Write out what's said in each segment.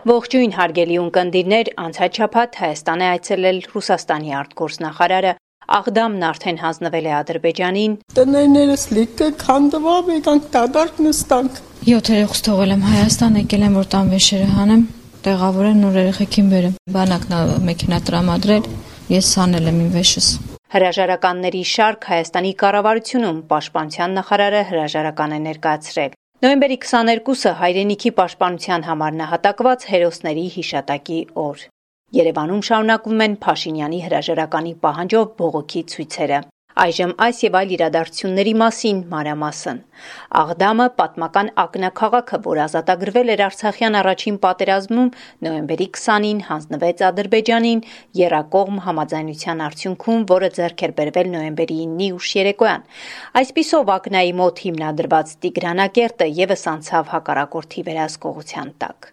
Ողջույն հարգելի ունկնդիրներ, անցած շաբաթ Հայաստան է այցելել Ռուսաստանի արտգործնախարարը, Աղդամն արդեն հանձնվել է Ադրբեջանին։ Տներներս լիքը քանդվավ, եկանք դադարք նստանք։ 7 երեխուս թողել եմ Հայաստան, եկել եմ որ տան վեշերը հանեմ, տեղավորեմ նոր երեխեքին բերեմ։ Բանակն մեքենա տրամադրել, ես հանել եմ իմ վեշս։ Հրաժարականների շարք Հայաստանի կառավարությունում պաշտպանության նախարարը հրաժարական է ներկայացրել։ Նոյեմբերի 22-ը հայրենիքի պաշտպանության համար նահատակված հերոսների հիշատակի օր։ Երևանում շարունակվում են Փաշինյանի հրաժարականի պահանջով բողոքի ցույցերը։ Այժմ այս եւ այլ իրադարձությունների մասին մանրամասն։ Աղդամը պատմական ակնաքաղաքը, որ ազատագրվել էր Արցախյան առաջին պատերազմում, նոյեմբերի 20-ին հանձնվեց Ադրբեջանին եռակողմ համաձայնության արդյունքում, որը ձեռք էր բերվել նոյեմբերի 9-ի ուշ երեկոյան։ Այսպիսով Ակնայի մոտ հիմնադրված Տիգրանակերտը եւս անցավ հակառակորդի վերահսկողության տակ։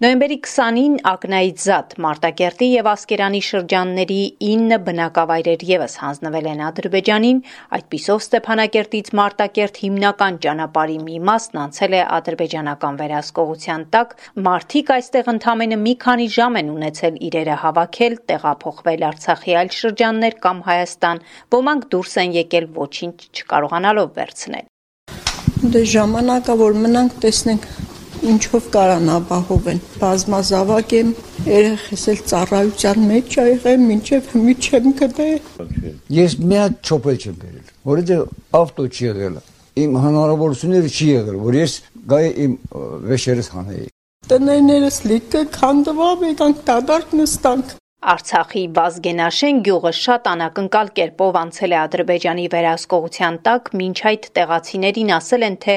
Նոյեմբերի 20-ին Ակնայից զատ Մարտակերտի եւ Ասկերանի շրջանների 9 բնակավայրեր եւս հանձնվել են Ադրբեջանին, այդպիսով Ստեփանակերտից Մարտակերտ հիմնական ճանապարհի մի մասն անցել է ադրբեջանական վերահսկողության տակ, մարդիկ այստեղ ընդամենը մի քանի ժամ են ունեցել իրերը հավաքել, տեղափոխվել Արցախի այլ շրջաններ կամ Հայաստան, ոմանք դուրս են եկել ոչինչ չկարողանալով վերցնել։ Դե ժամանակա որ մնանք տեսնենք ինչով կարան ապահովեն։ Բազմազավակ եմ, երեխես էլ ծառայության մեջ ա եղել, մինչև հիմի չեմ գտել։ Ես մի հատ չոպել չեմ բերել, որովհետև ավտո չի եղել։ Իմ հնարավորությունները չի եղել, որ ես գայի իմ վեշերս հանեի։ Տներներս լիքը քանդվավ, եկանք դադարք նստանք։ Արցախի Վազգենաշեն գյուղը շատ անակնկալ կերպով անցել է Ադրբեջանի վերահսկողության տակ, մինչ այդ տեղացիներին ասել են, թե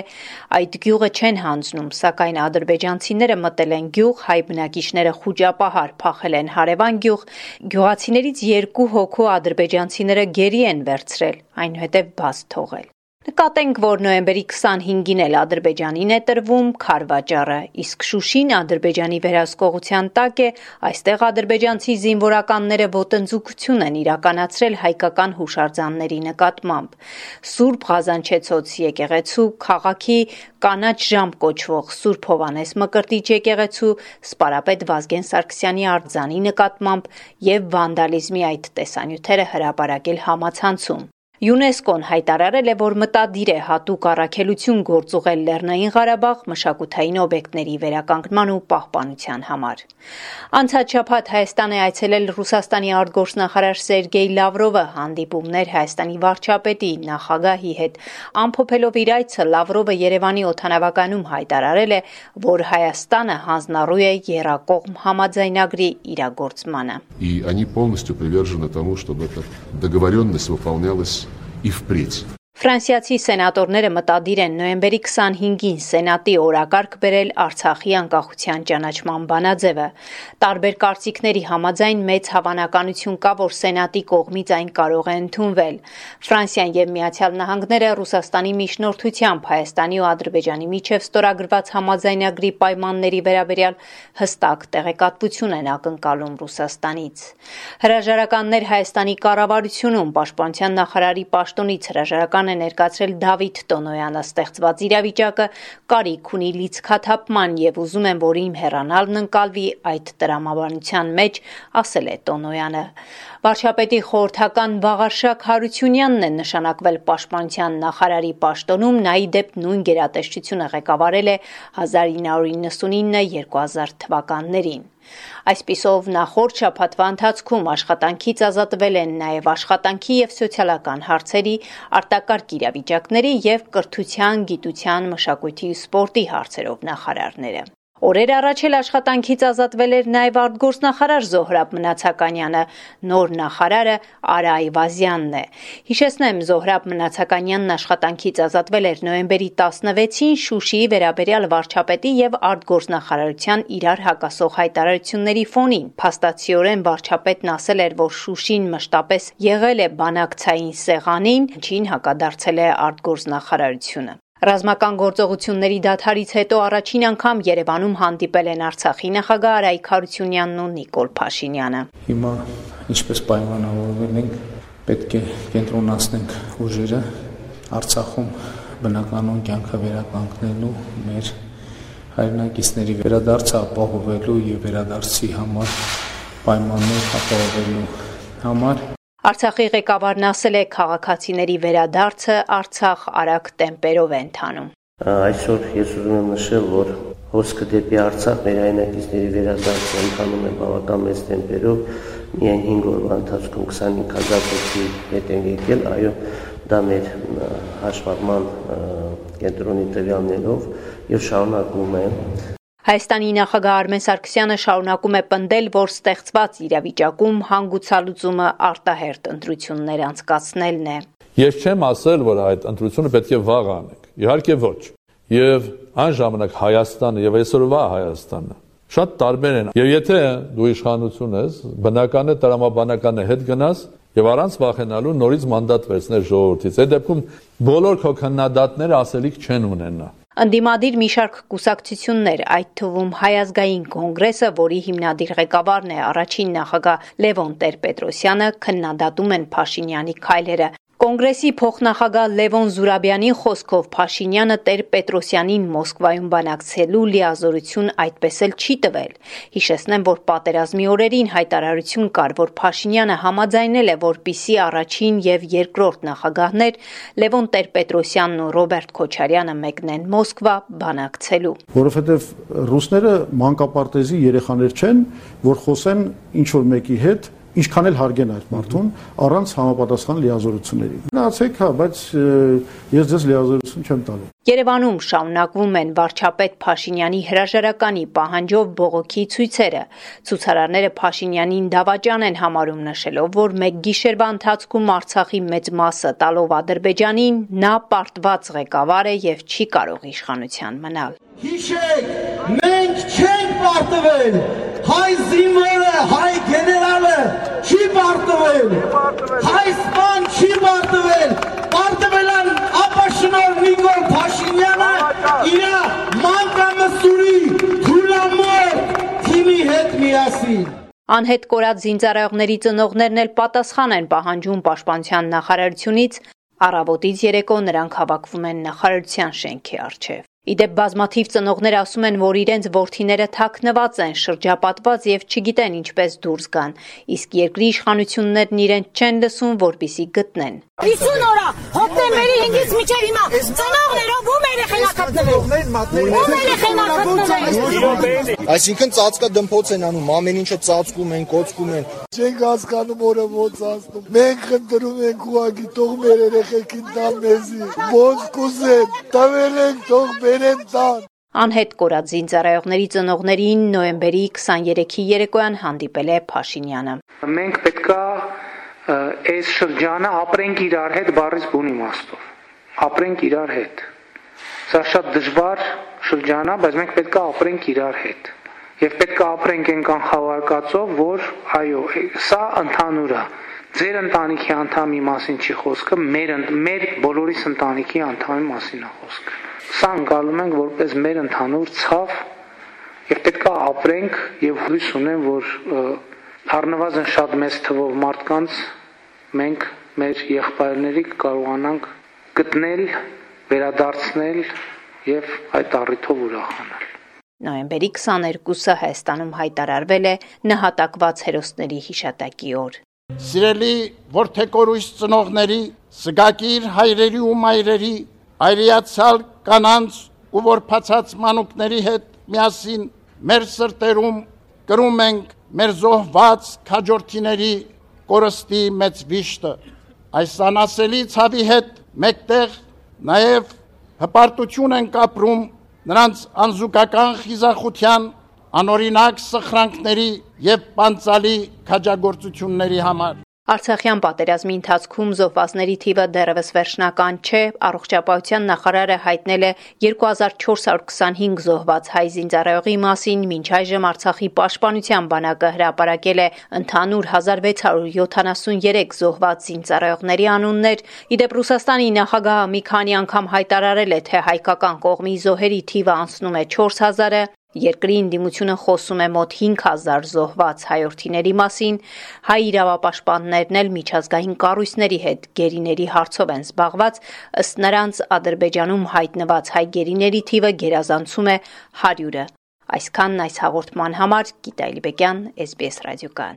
այդ գյուղը չեն հանձնում, սակայն ադրբեջանցիները մտել են գյուղ, հայ բնակիչները խուճապահար փախել են հարևան գյուղ, գյուղացիներից 2 հոգու ադրբեջանցիները գերի են վերցրել, այնուհետև բաց թողել։ Նկատենք, որ նոյեմբերի 25-ին էլ Ադրբեջանին է տրվում քարվաճառը, իսկ Շուշին Ադրբեջանի վերահսկողության տակ է, այստեղ ադրբեջանցի զինվորականները ոտնձգություն են իրականացրել հայկական հուշարձանների նկատմամբ։ Սուրբ Ղազանչեցոց եկեղեցու, քաղաքի կանաչ ժամ կոչվող Սուրբ Հովհաննես Մկրտիչ եկեղեցու, Սպարապետ Վազգեն Սարգսյանի արձանի նկատմամբ եւ վանդալիզմի այդ տեսանյութերը հրապարակել համացանցում։ ՅՈՒՆԵՍԿՕ-ն հայտարարել է, որ մտադիր է հատուկ առաքելություն գործուղել Լեռնային Ղարաբաղ մշակութային օբյեկտների վերականգնման ու պահպանության համար։ Անցած շաբաթ Հայաստան է այցելել Ռուսաստանի արտգործնախարար Սերգեյ Լավրովը, հանդիպումներ Հայաստանի վարչապետի, նախագահի հետ։ Ամփոփելով իր այցը, Լավրովը Երևանի օդանավակայանում հայտարարել է, որ Հայաստանը հանձնառու է եռակողմ համաձայնագրի իրագործմանը։ И они полностью привержены тому, чтобы эта договоренность выполнялась и впредь. Ֆրանսիացի սենատորները մտադիր են նոյեմբերի 25-ին Սենատի օրակարգ բերել Արցախի անկախության ճանաչման բանաձևը։ Տարբեր կարծիքների համաձայն մեծ հավանականություն կա, որ Սենատի կողմից այն կարող է ընդունվել։ Ֆրանսիան եւ Միացյալ Նահանգները Ռուսաստանի միջնորդությամբ Հայաստանի ու Ադրբեջանի միջև ստորագրված համաձայնագրի պայմանների վերաբերյալ հստակ տեղեկատվություն են ակնկալում Ռուսաստանից։ Հրաժարականներ Հայաստանի կառավարությունում պաշտպանության նախարարի պաշտոնից հրաժարական է ներկայացրել Դավիթ Տոնոյանը, ստեղծված իրավիճակը կարիք ունի լիցքաթափման եւ ուզում են, որ իմ հեռանալն ընկալվի այդ տրամաբանության մեջ, ասել է Տոնոյանը։ Վարչապետի խորհրդական Վաղարշակ Հարությունյանն է նշանակվել պաշտպանության նախարարի պաշտոնում, նա ի դեպ նույն գերատեսչությունը ղեկավարել է 1999-2000 թվականներին։ Այսպիսով նախորդ շաբաթվա ընթացքում աշխատանքից ազատվել են նաև աշխատանքի եւ սոցիալական հարցերի, արտակարգ իրավիճակների եւ կրթության, գիտության, մշակույթի ու սպորտի հարցերով նախարարները։ Օրեր առաջ էլ աշխատանքից ազատվել էր նաև արտգործնախարար Զոհրաբ Մնացականյանը, նոր նախարարը Արա Այվազյանն է։ Հիշեցնեմ, Զոհրաբ Մնացականյանն աշխատանքից ազատվել էր նոյեմբերի 16-ին Շուշիի վերաբերյալ վարչապետի եւ արտգործնախարարության իրար հակասող հայտարարությունների ֆոնին։ Փաստացիորեն վարչապետն ասել էր, որ Շուշին մշտապես եղել է բանակցային սեղանին, ինչին հակադարձել է արտգործնախարարությունը։ Ռազմական գործողությունների դադարից հետո առաջին անգամ Երևանում հանդիպել են Արցախի նախագահ Արայք Հարությունյանն ու Նիկոլ Փաշինյանը։ Հիմա ինչպես պայմանավորվել ենք, պետք է կենտրոնացնենք ուժերը Արցախում բնականon կյանքը վերականգնելու մեր հայրենակիցների վերադարձը ապահովելու եւ վերադարձի համար պայմաններ ապահովելու համար։ Արցախի ղեկավարն ասել է, քաղաքացիների վերադարձը Արցախ արագ տեմպերով է ընթանում։ Այսօր ես ուզում եմ նշել, որ հոսքը դեպի Արցախ մեր հայրենակիցների վերադարձը ընթանում է բավական մեծ տեմպերով, միայն 5 օրվա ընթացքում 25,000 հոգի հետ են եկել, այո, դա մեր հաշվառման կենտրոնի տվյալներով եւ շարունակվում է։ Հայաստանի նախագահ Արմեն Սարգսյանը շարունակում է պնդել, որ ստեղծված իրավիճակում հանգուցալուծումը արտահերթ ընտրություններ անցկացնելն է։ Ես չեմ ասել, որ այդ ընտրությունը պետք է վաղ անենք։ Իհարկե ոչ։ Եվ այն ժամանակ Հայաստանը եւ այսօրվա Հայաստանը շատ տարբեր են։ Եվ եթե դու իշխանություն ես, բնական է տրամաբանական է հետ գնաս եւ առանց վախենալու նորից մանդատ վերցնել ժողովրդից։ Այդ դեպքում բոլոր քո քննադատները ասելիք չեն ունենա։ Ընդդիմադիր մի շարք կուսակցություններ, այդ թվում Հայ ազգային կոնգրեսը, որի հիմնադիր ղեկավարն է առաջին նախագահ Լևոն Տեր-Պետրոսյանը, քննադատում են Փաշինյանի քայլերը։ Կոնգրեսի փոխնախագահ Լևոն Զուրաբյանի խոսքով Փաշինյանը Տեր-Պետրոսյանին Մոսկվայում բանակցելու լիազորություն այդպես էլ չի տվել։ Հիշեցնեմ, որ պատերազմի օրերին հայտարարություն կար, որ Փաշինյանը համաձայնել է, որպիսի առաջին եւ երկրորդ նախագահներ Լևոն Տեր-Պետրոսյանն ու Ռոբերտ Քոչարյանը մեկնեն Մոսկվա բանակցելու։ Որովհետեւ ռուսները մանկապարտեզի երեխաներ չեն, որ խոսեն ինչ որ մեկի հետ ինչքան էլ հարգեն այդ մարդուն առանց համապատասխան լիազորությունների։ Գնացեք, հա, բայց ես ձեզ լիազորություն չեմ տալու։ Երևանում շարունակվում են վարչապետ Փաշինյանի հրաժարականի պահանջով բողոքի ցույցերը։ Ցուցարարները Փաշինյանին դավաճան են համարում, նշելով, որ մեկ գիշերվա ընթացքում Արցախի մեծ մասը տալով Ադրբեջանին, նա պարտված ղեկավար է եւ չի կարող իշխանության մնալ։ Հիշեք, մենք չենք պարտվել, հայ զինվորը, հայ գեներալը չի պարտվել, հայ սպան չի պարտվել, պարտվել են ապաշնոր Նիկոլ Փաշինյանը իր մանկամսուրի թուլամոր թիմի հետ միասին։ Անհետ կորած զինծառայողների ծնողներն էլ պատասխան են պահանջում պաշտպանության նախարարությունից, առավոտից երեկո նրանք հավաքվում են նախարարության շենքի առջև։ Իդեպ բազմաթիվ ծնողներ ասում են, որ իրենց որդիները թաքնված են, շրջապատված եւ չգիտեն ինչպես դուրս գան, իսկ երկրի իշխանություններն իրենց չեն լսում, որպեսզի գտնեն։ 50 օր հոկտեմբերի 5-ից մինչև հիմա ծնողներով ում երեխան։ Այսինքն ծածկա դմփոց են անում, ամեն ինչը ծածկում են, կոծկում են։ Չենք հասկանում օրը ոնց ասնում։ Մենք խնդրում ենք ուղղակի թող մեր երեխեքին տան մեզի, ոնց կուզեն, տվել ենք թող բերեն տան։ Անհետ կորած զինծառայողների ծնողներին նոյեմբերի 23-ի երեկոյան հանդիպել է Փաշինյանը։ Մենք պետքա այս շրջանը ապրենք իրար հետ բառից բուն իմաստով։ Ապրենք իրար հետ։ Սա շատ դժվար շրջան է, բայց մենք պետքա ապրենք իրար հետ։ Եվ պետքա ապրենք այն կանխավարկածով, որ այո, սա ընդհանուր է։ Ձեր ընտանիքի անդամի մասին չի խոսքը, մեր բոլորիս ընտանիքի անդամի մասին է խոսքը։ Սա ընկալում ենք որպես մեր ընդհանուր ցավ եւ պետքա ապրենք եւ հույս ունեմ, որ առնվազն շատ մեծ թվով մարդկանց մենք մեր եղբայրների կարողանանք գտնել, վերադարձնել եւ այդ առիթով ուրախանալ։ Նոյեմբերի 22-ը Հայաստանում հայտարարվել է նահատակված հերոսների հիշատակի օր։ Սիրելի որդեկորույս ծնողների, սգակիր հայրերի ու մայրերի, այրիացալ կանանց ու որփացած մանուկների հետ միասին մեր սրտերում կրում ենք մեր զոհված քաջորդիների կորստի մեծ վիշտը։ Այս անասելի ցավի հետ մեկտեղ նաև հպարտություն ենք ապրում նրանց անզուգական խիզախության, անօրինակ սխրանքների եւ պանցալի քաջագործությունների համար։ Արցախյան պատերազմի ընթացքում զոհվածների թիվը դեռևս վերջնական չէ, առողջապահության նախարարը հայտնել է 2425 զոհված հայ զինծառայողի մասին, մինչ այժմ Արցախի պաշտպանության բանակը հրապարակել է ընդհանուր 1673 զոհված զինծառայողների անուններ։ Իդեպ Ռուսաստանի նախագահը մի քանի անգամ հայտարարել է, թե հայկական կողմի զոհերի թիվը անցնում է 4000-ը, Երկրի ընդդիմությունը խոսում է մոտ 5000 զոհված հայրենիների մասին, հայ իրավապաշտպաններն էլ միջազգային կառույցների հետ գերիների հարցով են զբաղված, ըստ նրանց Ադրբեջանում հայտնված հայ գերիների թիվը գերազանցում է 100-ը։ Այսքանն այս հաղորդման համար Գիտա Իլբեկյան, SBS ռադիոկայան։